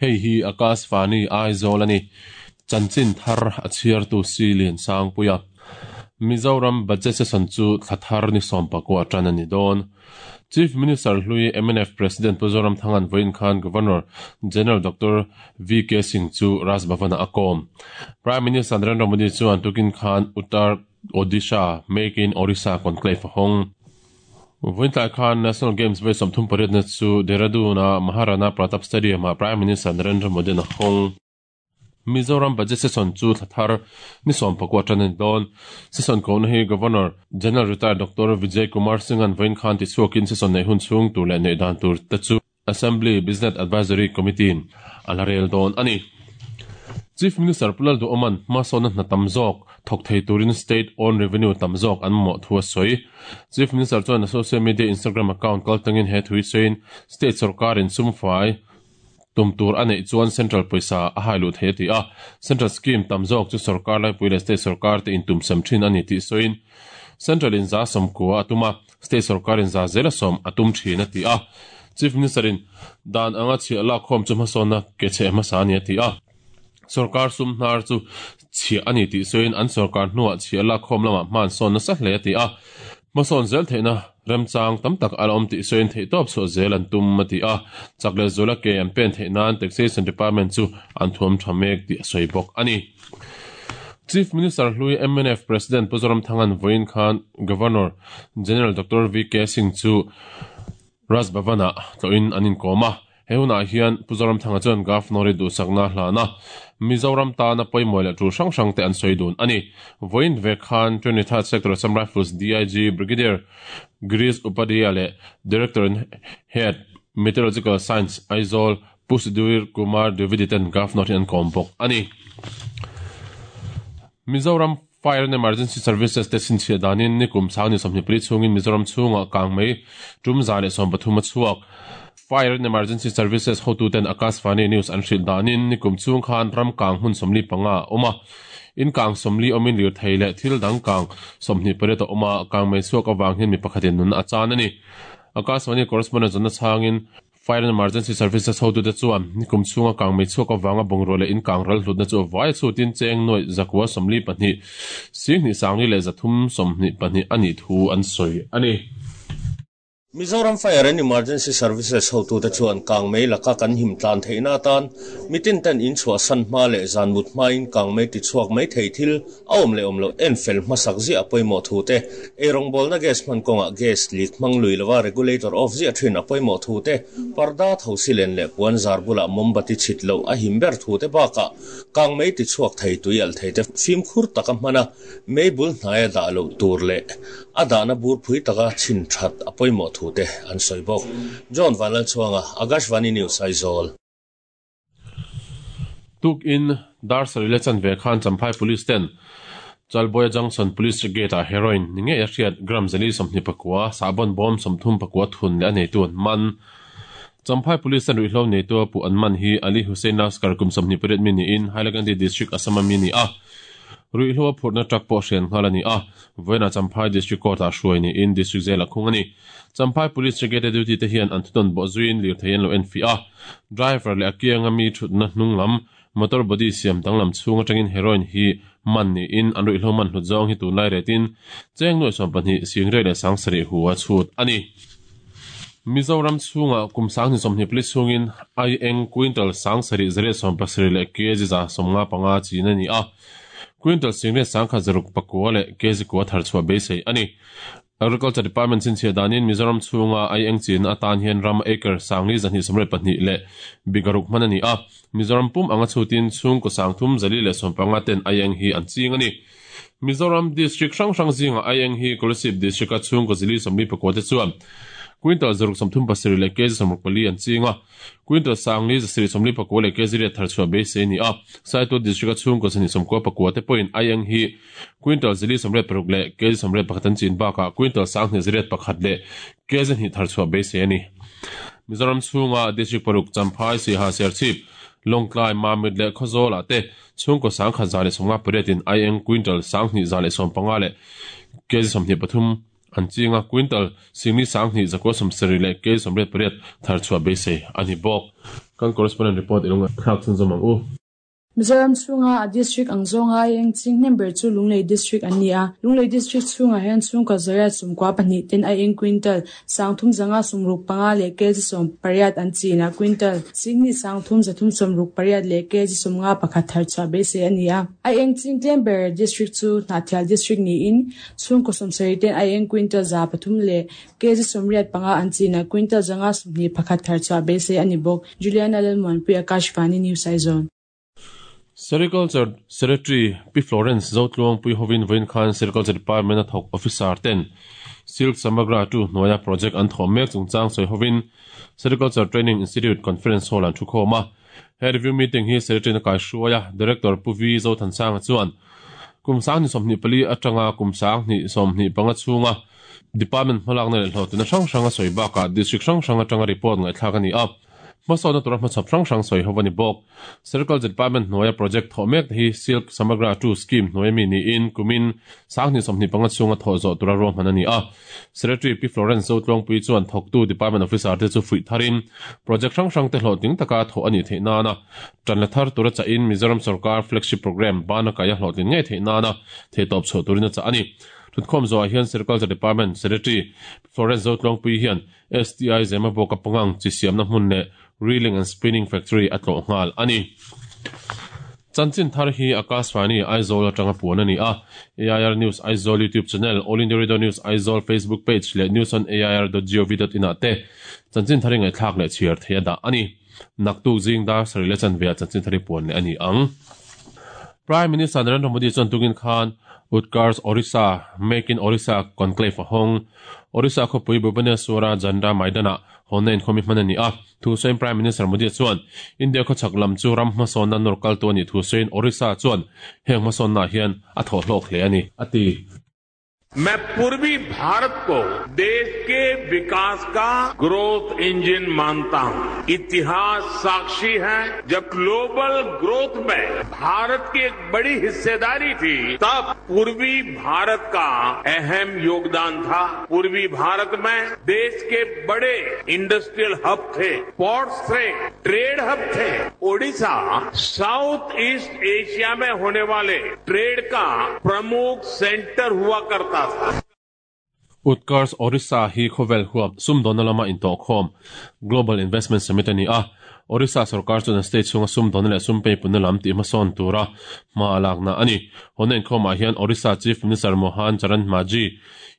Hei hi Akashvani Aizawl a ni. Chanchin thar a chhiartu Si Liansangpuia. Mizoram Budget Session chu thla thar ni sawmpakua tan a ni dawn. Chief Minister hlui mnf President Pu Zoramthanga'n vawiin khan Governor General Doctor VK Singh chu Raj Bhavan-ah a kawm. Prime Minister Narendra Modi chuan tukin khan Uttar Odisha Make in Orissa Conclave a hawng. Vawiin tlai khan National Games vawi 38na chu Dehradun-a Maharana Pratap Stadium-ah Prime Minister Narendra Modi-a'n a hawng. Mizoram Budget Session chu thla thar ni 19 tan a ni dawn. Session kohna hi Governor General Retired Doctor Vijay Kumar Singh-a'n vawiin khan tichhuakin session neih hun chhung tur leh neih dan tur te chu Assembly Business Advisory Committee-in a la rel dawn a ni. Chief Minister Pu Lalduhawma'n hmasawnna hna tam zawk thawk thei turin State Owned Revenue tam zawk an mamawh thu a sawi. Chief Minister chuan a social media Instagram account kaltlangin he thu hi sawiin State sawrkarin sumfai Tum tur a neih chuan Central pawisa a hai luh thei a ti a, Central scheme tam zawk chu sawrkar laipui leh state sawrkar te intumsam thin a ni tih sawiin, Central in 90% a tum a, state sawrkar in 100% a tum thin a ti a. Chief Minister in dan anga chhiah lakkhawm chu hmasawnna ke chheh hmasa a ni a ti a. Sawrkar sum hnar chu chhiah a ni tih sawiin an sawrkar hnuah chhiah lakkhawm lamah hma an sawn nasa hle a ti a. Hmasawn zel theihna remchang tam tak a la awm tih sawiin theihtawp chhuah zel an tum a ti a. Chak leh zuala ke an pen theih nan Taxation Department chu an thuam tha mek tih a sawi bawk a ni. Chief Minister hlui mnf President Pu Zoramthanga'n vawiin khan Governor General Doctor VK Singh chu Raj Bhavan-ah tlawhin an inkawm a, he hunah hian Pu Zoramthanga chuan Governor-i duhsakna hlan a, Mizoram tana pawimawih leh tul hrang hrangte an sawi dun a ni. Vawiin ve khan 23rd Sector Assam Rifles DIG Brigadier Girish Upadhyaya leh Director and Head, Meteorological Science, Aizawl, Pu Sudhir Kumar Dwivedi ten Governor hi an kawm bawk a ni. Mizoram Fire and Emergency Services te chhinchhiah danin nikum sang ni 24 chhungin Mizoram chhungah kang mai tum 113 a chhuak. Fire and Emergency Services hotuten Akashvani News an hrilh danin nikum chhung khan ram kang hmun 45 a awm a. In kang 40 awmin lirthei leh thil dang kang 28 a awm a, kang mai chhuak avang hian mi pakhatin nun a chan a ni. Akashvani correspondent zawhna chhangin Fire and Emergency Services hotute chuan nikum chhunga kangmei chhuak avanga bungrua leh in kang ral hlutna chu vai chhutin cheng nuaih 942 2,322 a nih thu an sawi a ni. Mizoram Fire and Emergency Services hotute chuan kangmei laka kan him tlan theihna atan mitin ten in chhuahsan hma leh zan mut hmain kangmei tichhuak mai thei thil A awm leh awm loh en fel hmasak ziah a pawimawh thu te, eirawngbawlna gas hman kawngah gas leak hmang lui lova regulator off ziah thin a pawimawh thu te, parda thosi len leh puan zar bulah mombati chhit loh a him ber thu te bakah kangmei ti chhuak thei tui alh thei te fimkhur taka hman a, mei bul hnaia dah loh tur leh a dahna bur phui taka chhin that a pawimawh thu te an sawi bawk. John Vanlalchhuanga, Akashvani News, Aizawl. Tukin dar sarih leh chanve khan Champhai Police ten Chalbuaia Junction Police Gate ah heroin ni ngei a hriat gram 429 sahbawn bawm 34 thun leh a neitu an man. Champhai Police ten ruihhlo neitu a puh an man hi Ali Hussain Laskar kum 28 mi niin Hailakandi District Assam a mi a ni a. Ruihhlo a phurhna truck pawh hrian nghal a ni a, vawiinah Champhai District Court ah hruai niin District Jail a khung a ni. Champhai Police Brigade duty te hian an thunawn bawh zuiin lirthei an lo enfiah a, driver leh a kianga mi thutna hnung lam motor body siam danglam chhung atangin heroin hi man niin an ruihhlo man hlut zawng hi tunlai retin cheng nuai 12 singrei leh 7000 hu a chhut a ni. Mizoram chhungah kum 2024 chhungin aieng quintal 7870 leh kg 155 chin a ni a, quintal singriat 1609 leh kg kua thar chhuah beisei a ni. Agriculture Department chhinchhiah danin Mizoram chhunga aieng chinna atan hian ram acre 42 leh bigaruk hman a ni a, Mizoram pum anga chhutin chhungkaw 3415 ten aieng hi an ching a ni. Mizoram District hrang hrang zingah aieng hi Kolasib District-a chhungkaw 449 te chuan quintal 637 leh kg 64 an ching a, Quintal 4749 leh kg riat thar chhuah beisei a ni a, Saitual District-a chhungkaw 29 te pawhin aieng hi Quintal 86 leh kg 81 an chin bakah quintal 21 leh kg hnih thar chhuah beisei a ni. Mizoram chhunga District paruk Champhai, Siaha, Serchhip, Lawngtlai, Mamit leh Khawzawlah te chhungkaw 1158 in aieng quintal 2115 leh kg 23 an ching a, quintal 42,000 170 leh kg 88 thar chhuah beisei a ni bawk. Kan correspondent report i lo ngaihthlak chhunzawm ang u. Mizoram chhunga a district ang zawnga a eng ching hnem ber chu Lunglei District an ni a. Lunglei District chhungah hian chhungkaw zariat 92 ten a eng quintal 3565 leh kg 18 an chin a, quintal 23,368 leh kg 51 thar chhuah beisei a ni a. A eng ching tlem ber district chu Hnahthial District niin chhungkaw 70 ten a eng quintal 300 leh kg 85 an chin a, quintal 521 thar chhuah beisei a ni bawk. Juliana Lalmuanpui, Akashvani News Aizawl. Sericulture Secretary Pi Florence Zotluangpui hovin vawiin khan Sericulture Department a thawk officer ten Silk Samagra 2 hnuaia project an thawh mek chungchang sawi hovin Sericulture Training Institute Conference Hall an thukhawm a. He review meeting hi Secretary na kaihruai a, Director Pu V Zothansanga chuan kum 2024 atanga kum 2025 chhunga Department hmalakna leh hlawhtlinna hrang hrang a sawi bakah District hrang hrang atanga report ngaihthlak a ni a. Hmasawnna tura hmachhawp hrang hrang sawi ho a ni bawk. Sericulture Department hnuaia project thawh mek te hi Silk Samagra 2 Scheme hnuaia mi niin kumin 2025 chhunga thawh zawh tura ruahman a ni a. Secretary Pi Florence Zotluangpui chuan thawktu Department Officer te chu fuih tharin project hrang hrang te hlawhtling taka thawh a nih theih nana tan la thar tura chahin Mizoram Sorkar Flagship Programme bana kaia hlawhtlin ngei theih nana theihtawp chhuah turin a chah a ni. Thutkhawm zawhah hian Sericulture Department Secretary Pi Florence Zotluangpui hian STI Zemabawk a pangang chi siamna hmun leh Reeling and Spinning Factory a tlawh nghal a ni. Chanchin thar hi Akashvani Aizawl atanga puan a ni a. AIR News Aizawl YouTube channel, All India Radio News Aizawl Facebook page leh newsonair.gov.in ah te chanchin thar i ngaihthlak leh chhiar thei a dah a ni. Naktuk zing dar sarih leh chanve ah chanchin thar i puan leh a ni ang. Prime Minister Narendra Modi chuan tukin khan Utkarsh Orissa, Make in Orissa Conclave a hawng. Orissa khawpui Bhubaneswar-a Janda Maidan-ah hawnna inkhawm hi hman a ni a. Thu sawiin Prime Minister Modi chuan India khawchhak lam chu ram hmasawnna nawr kaltu a nih thu sawiin Orissa chuan heng hmasawnnaah hian a thawh hlawk hle a ni, a ti. मैं पूर्वी भारत को देश के विकास का growth engine मानता हूं। इतिहास साक्षी है, जब ग्लोबल ग्रोथ में भारत की एक बड़ी हिस्सेदारी थी, तब पूर्वी भारत का अहम योगदान था। पूर्वी भारत में देश के बड़े इंडस्ट्रियल हब थे, पोर्ट्स थे, ट्रेड हब थे। ओडिशा south east Asia में होने वाले ट्रेड का प्रमुख सेंटर हुआ करता था। Utkarsh Orissa hi khawvel huap sumdawnna lama intawhkhawm Global Investment Summit a ni a. Orissa sorkar chuan a state chhunga sumdawnna leh sum peipunna lam tih hmasawn tura hma a lakna a ni. Hawnna inkhawmah hian Orissa Chief Minister Mohan Charan Majhi,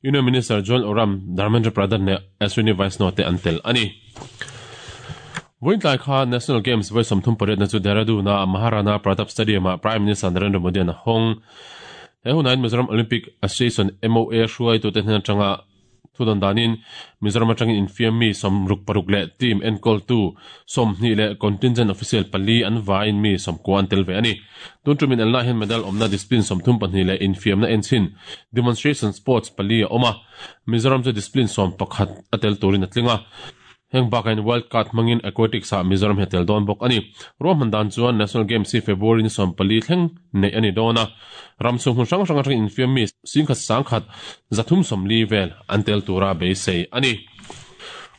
Union Minister Jual Oram, Dharmendra Pradhan leh Ashwini Vaishnaw te an tel a ni. Vawiintlai kha National Games vawi 38 na chu Dehradun-a Maharana Pratap Stadium-ah Prime Minister Narendra Modi-a'n a hawng. He hunain Mizoram Olympic Association, MOA, hruaitute hnen atanga thudawn danin Mizoram atangin infiam mi 66 leh team enkawltu 20 leh contingent official pali an vaiin mi 90 an tel ve a ni. Tun tumin elna hian medal awmna discipline 32 leh infiamna enchhin demonstration sports pali a awm a. Mizoram chu discipline 11 a tel turin a tling a. Heng bakain Wild Card hmangin Aquatics ah Mizoram hi a tel dawn bawk a ni. Ruahman dan chuan National Games hi February ni 14 thleng neih a ni dawn a. Ram chhung hmun hrang hrang atangin infiam mi 10,140 vel an tel tura beisei a ni.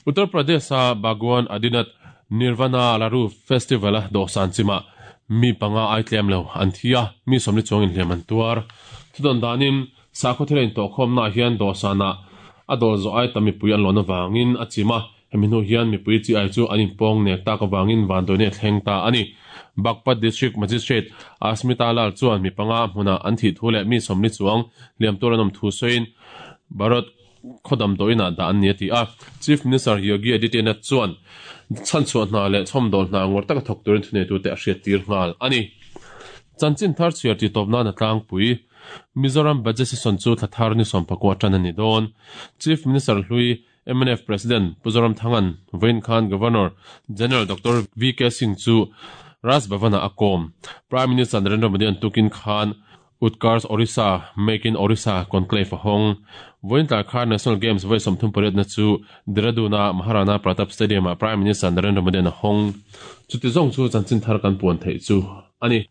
Uttar Pradesh-a Bhagwan Adinath Nirvana Laru Festival-a dawhsan chimah mi panga ai tlem lo an thi a, mi 40 chuangin hliam an tuar. Thudawn danin sakhaw thil a intawhkhawmnaah hian dawhsanah a dawl zawh ai tam mipui an lawn avangin a chim a. Hemi hnu hian mipui chi ai chu an inpawng nek tak avangin vanduaina a thleng ta a ni. Baghpat District Magistrate Asmita Lal chuan mi panga hmunah an thih thu leh mi 40 chuang hliam tur an awm thu sawiin Barot khaw damdawiinah dah an ni a ti a. Chief Minister Yogi Adityanath chuan chhanchhuah hna leh chhawmdawl hna ngawr taka thawk turin thuneitute a hriattir nghal a ni. Chanchin thar chhiar tih tawp nan a tlangpui. Mizoram Budget Session chu thla thar ni 19 tan a ni dawn. Chief Minister hlui mnf President Pu Zoramthanga'n vawiin khan Governor General Doctor VK Singh chu Raj Bhavan-ah a kawm. Prime Minister Narendra Modi an tukin khan Utkarsh Orissa, Make in Orissa Conclave a hawng. Vawiin tlai khan National Games vawi 38 na chu Dehradun-a Maharana Pratap Stadium-ah Prime Minister Narendra Modi an a hawng. Chuti zawng chu chanchin thar kan puan theih chu a ni.